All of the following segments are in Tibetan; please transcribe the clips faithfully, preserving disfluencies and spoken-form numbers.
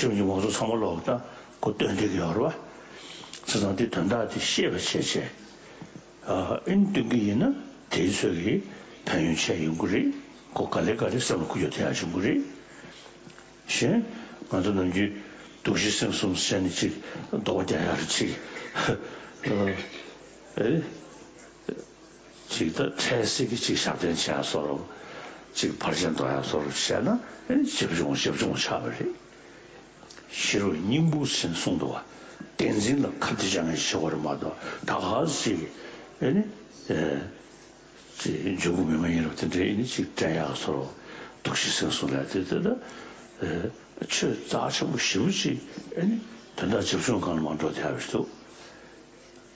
ཁྲིམས་ཀྱི་མང་ཚོགས་ཚང་མ་ལོག་ད་ཁོ་སྟོན་བསྡད་ཀྱི་ཡོད་རེད་བ། བྱས་ཙང་དེ་དོན་དག་དེ་ཤེས་པ་བྱས་བྱས། ཨ་ཨིན་སྟོན་གྱི་ཡིན་ན་དེའི་ཚོད་ཀྱི་ཕན་ཡོན་ཆེ་ཡོང་གི་རེད། ཁོ་ག་ལེ་ག་ལེ་སེམས་ལ་འཁོར་རྒྱུ་དེ་ཡང་བྱུང་གི་རེད། གཞན་ང་ཚོ་ནམ་རྒྱུན་སྡུག་ཤི་སེམས་གསུམ་བྱས་ནས་ཅིག་ལྡོག་རྒྱག་ཡག་རེད་ཅིག་ཨ་ཨེ། ཅིག་ད་འཕྲལ་སེལ་གྱི་ཅིག་ཞབས་བརྟན་བྱེད་ཡ་བཟོ་འདྲ། ཅིག་བར་ཆད་འདོར་ཡ་བཟོ་འདྲ་བྱས་ན་ཨེ་ནི་ཞེ་པོ་ཅུང་ཞེ་པོ་ཅུང་ཆགས་པ་རེད། ཤེས་རབ་སྙིང་པོ་ཟེར་གསུངས་འདུག་བ། བསྟན་འཛིན་ལ་ཁ་གཏད་བཅག་མཁན་ཞིག་བྱེད་དགོས་རེད་མ་གཏོགས་ད་ག་ཟེ་ཅིག་ཨེ་ནི་ཨེ་ཅིག་འཇུག་སྒོ་མི་མ་ཡིན་རབས་དེ་འདྲའི་ཨེ་ནི་ཅིག་དྲན་ཡག་བཟོ་འདྲ། སྡུག་ཤི་སེམས་གསུམ་ལ་དེ་དེ་ད་ཨེ་ཆོས་རྩ་ཆེན་པོ་ཞེ་པོ་ཅིག་ཨེ་ནི་དོན་དག་ཇེ་ཆུང་སྒང་ལ་མར་འགྲོ་བསྡད་ཡག་རེད་འདུག་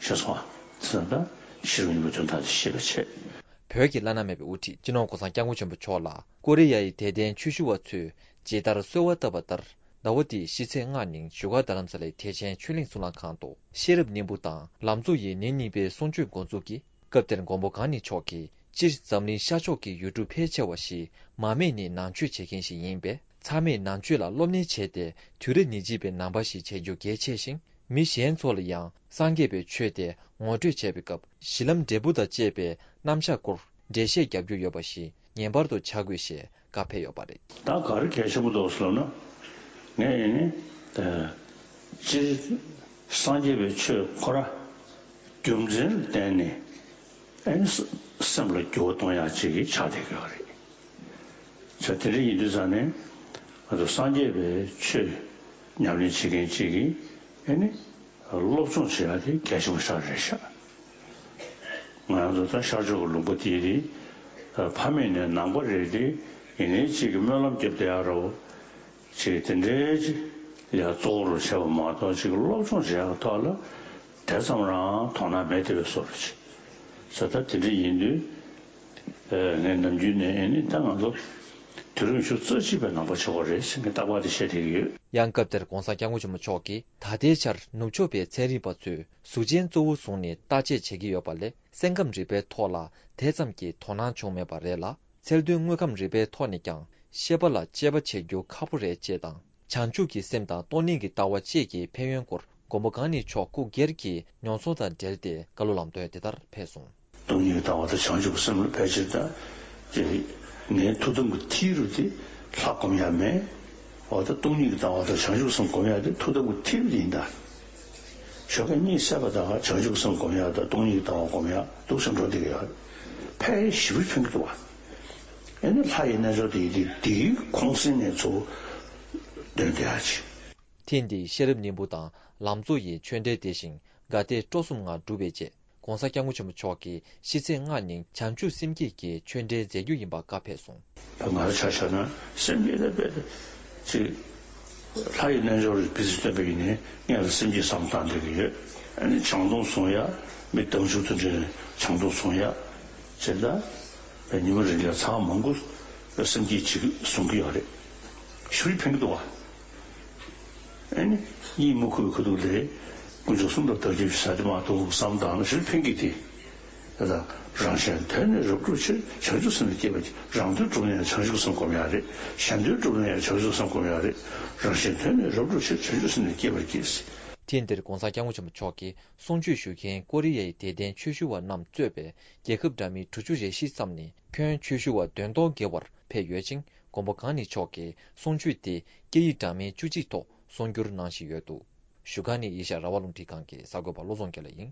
ཤེས་སོང་ཨ། ཟེར་ན་ད་ཤེས་རབ་སྙིང་པོའི་དོན་དག་དེ་ཤེས་པ་བྱས། བོད་ཀྱི་བླ་ན་མེད་པའི་དབུ་ཁྲིད་སྤྱི་ནོར་༧གོང་ས་༧སྐྱབས་མགོན་ཆེན་པོ་མཆོག་ལ་ཀོ་རི་ཡ་ཡི་དད་ལྡན་ཆོས་ཞུ་བ་ཚོས་ཇི་ལྟར་གསོལ་བ་བཏབ་པ་ལྟར། ཟླ་བ་འདིའི་ཕྱི་ཚེས་ལྔ་ཉིན་བཞུགས་སྒར་རྡ་རམ་ས་ལའི་ཐེག་ཆེན་ཆོས་གླིང་གཙུག་ལག་ཁང་དུ་ཤེས་རབ་སྙིང་པོ་དང་ལམ་གཙོ་ཡི་ཉིན་གཉིས་པའི་གསུང་ཆོས་འགོ་འཛུགས་ཀྱིས། སྐབས་དེར་མགོན་པོ་གང་ཉིད་མཆོག་གིས་སྤྱིར་འཛམ་གླིང་ཤར་ཕྱོགས་ཀྱི་ཡུལ་གྲུ་ཕལ་ཆེ་བ་ཞིག་མ་སྨད་ནས་ནང་ཆོས་བྱེད་མཁན་ཞིག་ཡིན་པས། ཚང་མས་ནང་ཆོས་ལ་སློབ་གཉེར་བྱས་ཏེ། དུས་རབས་ཉེར་གཅིག་པའི་ནང་པ་ཞིག་བྱེད་རྒྱུ་གལ་ཆེ་ཞིང་། མི་གཞན་ཚོ་ལ་ཡང་སངས་རྒྱས་པའི་ཆོས་དེ་ངོ་སྤྲོད་བྱས་པའི་སྐབས། གཞི་ལམ་འབྲས་བུ་དང་བཅས་པའི་རྣམ་གཞག་སྐོར་འགྲེལ་བཤད་རྒྱབ་རྒྱུ་ཡོད་པ་ཞིག་ངེས་པར་དུ་བྱ་དགོས་ཞེས་བཀའ་ཕེབས་ཡོད་པ་རེད། ད་ག་རེ་གལ་ཆེན་པོ་འདུག་ཟེར་ན། ངས་ཨེ་ནི། ཨ་སྤྱིར་སངས་རྒྱས་པའི་ཆོས་ཁོ་ར་རྒྱུ་མཚན་ལ་བརྟེན་ནས་ཨེ་ནི་སེམས་ལ་འགྱུར་བ་གཏོང་ཡག་ཅིག་ཆགས་བསྡད་ཀྱི་ཡོད་རེད། བྱས་དེ་འདྲ་ཡིན་དུས་ཙང་ནས་ང་ཚོ་སངས་རྒྱས་པའི་ཆོས་ཉམས་ལེན་བྱེད་མཁན་ཅིག་གིས་ཨེ་ནི་སློབ་སྦྱོང་བྱེད་ཡག་དེ་གལ་ཆེན་པོ་ཞིག་རེད་ཤག་ང་ཚོ་ད་ཤར་ཕྱོགས་ཀྱི་ལུང་པ་དེ་རེད། ཕ་མེས་ནས་ནང་པ་རེད་དེ། ཡིན་ནའི་ཅིག་གི་སྨོན་ལམ་རྒྱབ་བསྡད་ཡག་རོ། ཅིག་དེ་འདྲའི་ཅིག་ལ་གཙོ་བོ་རུ་བྱས་པ་མ་གཏོགས་ཅིག་སློབ་སྦྱོང་བྱེད་ཡག་ཐོག་ལ་དེ་ཙམ་རང་དོ་སྣང་མེད་དེ་བའི་བཟོ་འདྲ་ཅིག་ས་ད་དེ་འདྲ་ཡིན་དུས། ངས་ནམ་རྒྱུན་ནས་ཨེ་ནི་ད་ང་ཚོ་དུས་རབས་ཉི་ཤུ་རྩ་གཅིག་པའི་ནང་པ་ཆགས་པ་རེད་ཟེར་ངས་རྟག་པར་དེ་བཤད་བསྡད་ཀྱི་ཡོད། ཡང་སྐབས་དེར་༧གོང་ས་༧སྐྱབས་མགོན་ཆེན་པོ་མཆོག་གིས་ད་ལྟའི་ཆར་ནུབ་ཕྱོགས་པའི་ཚན་རིག་པ་ཚོས་གཟུགས་ཅན་གཙོ་བོ་བཟུང་ནས་བརྟག་དཔྱད་བྱེད་ཀྱི་ཡོད་པ་ལས། སེམས་ཁམས་རིག་པའི་ཐོག་ལ་དེ་ཙམ་གྱི་དོ་སྣང་བྱུང་མེད་པ་རེད་ལ། ཚུལ་དོན་དངོས་ཁམས་རིག་པའི་ཐོག་ནས་ཀྱང་ཤེས་པ་ལ་དཔྱད་པ་བྱེད་རྒྱུ་ཁག་པོ་རེད་ཅེས་དང་། བྱང་ཆུབ་ཀྱི་སེམས་དང་སྟོང་ཉིད་ཀྱི་ལྟ་བ་བཅས་ཀྱི་ཕན་ཡོན་སྐོར་མགོན་པོ་གང་ཉིད་མཆོག་སྐུ་སྒེར་གྱི་མྱོང་ཚོར་དང་འབྲེལ་ཏེ་བཀའ་སློབ་ལམ་སྟོན་དེ་ལྟར་ཕེབས་སོང་། སྟོང་ཉིད་ཀྱི་ལྟ་བ་དང་བྱང་ཆུབ་ཀྱི་སེམས་ལ་ཕལ་ཆེར་དང་། དེ་ངའི་ཐུགས་དམ་གྱི་མཐིལ་རུ་དེ་ལྷ་སྒོམ་ཡ་མེད། འོ་ད་སྟོང་ཉིད་ཀྱི་ལྟ་བ་དང་བྱང་ཆུབ་སེམས་སྒོམ་ཡ་དེ་ཐུགས་དམ་གྱི་མཐིལ་རུ་དེ་ཡིན་ད། ཞོགས་ཀས་གཉིད་སད་པ་དང་བྱང་ཆུབ་སེམས་སྒོམ་ཡ་དང་སྟོང་ཉིད་ཀྱི་ལྟ་བ་སྒོམ་ཡ་འདུག་སེ་འགྲོ་བསྡད་ཀྱི་ཡོད། ཕལ་ཞེ་པོ་ཕན་གྱི་འདུག་བ། ཨེ་ནི་ལྷ་ཡི་རྣལ་འབྱོར་དེ་ཡི་དེ་དེའི་ཁོང་གསེང་ནས་ཚུར་འདོན་བསྡད་ཡ་ཅིག་ཐེངས་འདིའི་ཤེས་རབ་སྙིང་པོ་དང་ལམ་གཙོ་ཡི་ཆོས་འབྲེལ་དེ་བཞིན་དགའ་དད་སྤྲོ་གསུམ་ངང་གྲུབ་པའི་རྗེས། ༸གོང་ས་༸སྐྱབས་མགོན་ཆེན་པོ་མཆོག་གིས་ཕྱི་ཚེས་ལྔ་ཉིན་བྱང་ཆུབ་སེམས་བསྐྱེད་ཀྱི་ཆོས་འབྲེལ་མཛད་རྒྱུ་ཡིན་པ་བཀའ་ཕེབས་སོང་། ད་ང་རང་ཆ་བཞག་ན་སེམས་བསྐྱེད་དེ་དཔེ་ཅིག་ལྷ་ཡི་རྣལ་འབྱོར་རེ་བི་ཟི་སྟོན་པ་ཡིན་ནའི་སྔོན་ལ་སེམས་བསྐྱེད་བསམ་བཏང་བསྡད་ཀྱི་ཡོད། ཨ་ནི་བྱང་སྡོམ་བཟུང་ཡ། མི་དལ་འབྱོར་དེ་འདྲའི་བྱང་སྡོམ་བཟུང་ཡ། བྱས་ད་ཉི་མ་རེ་ལ་ཚར་མང་པོ་སེམས་བསྐྱེད་ཅིག་བཟུང་གི་ཡོད་རེད། ཞེ་པོ་ཕན་གྱི་འདུག་བ། ཨེ་ནི་གཉིད་མི་ཁུག་པའི་ཁ་ཐུག་ལས་དཀོན་མཆོག་གསུམ་ལ་བདག་སྐྱབས་ཞུ་ས་དེ་མ་གཏོགས་བསམ་བཏང་ན་ཞེ་པོ་ཕན་གྱི་དེ། ད་ལྟ་རང་གཞན་དོན་ནི་རབ་བསྒྲུབ་ཕྱིར། བྱང་ཆུབ་སེམས་ལ་སྐྱེ་བར་གྱིས། རང་དོན་བསྒྲུབ་ན་ཡང་བྱང་ཆུབ་སེམས་སྒོམ་ཡག་རེད། གཞན་དོན་བསྒྲུབ་ན་ཡང་བྱང་ཆུབ་སེམས་སྒོམ་ཡག་རེད། རང་གཞན་དོན་ནི་རབ་བསྒྲུབ་ཕྱིར། བྱང་ཆུབ་སེམས་ལ་སྐྱེ་བར་གྱིས། ཐེངས་འདིར་༸གོང་ས་༸སྐྱབས་མགོན་ཆེན་པོ་མཆོག་གིས་གསུང་ཆོས་ཞུ་མཁན་ཀོ་རི་ཡའི་དད་ལྡན་ཆོས་ཞུ་བ་རྣམས་གཙོས་པའི་རྒྱལ་ཁབ་འདྲ་མིན་དྲུག་ཅུ་རེ་བཞི་ཙམ་ནས་ཁྱོན་ཆོས་ཞུ་བ་བདུན་སྟོང་བརྒལ་བར་ཕེབས་ཡོད་ཅིང་། མགོན་པོ་གང་ཉིད་མཆོག་གིས་གསུང་ཆོས་དེ་སྐད་ཡིག་འདྲ་མིན་བཅུ་གཅིག་ཐོག་གསུང་བསྒྱུར་གནང་བཞིན་ཡོད་འདུག་བཞུགས་སྒར་ནས་ཨེ་ཤ་ཡ་རང་དབང་རླུང་འཕྲིན་ཁང་གི་གསར་འགོད་པ་བློ་བཟང་དགེ་ལེགས་ཡིན།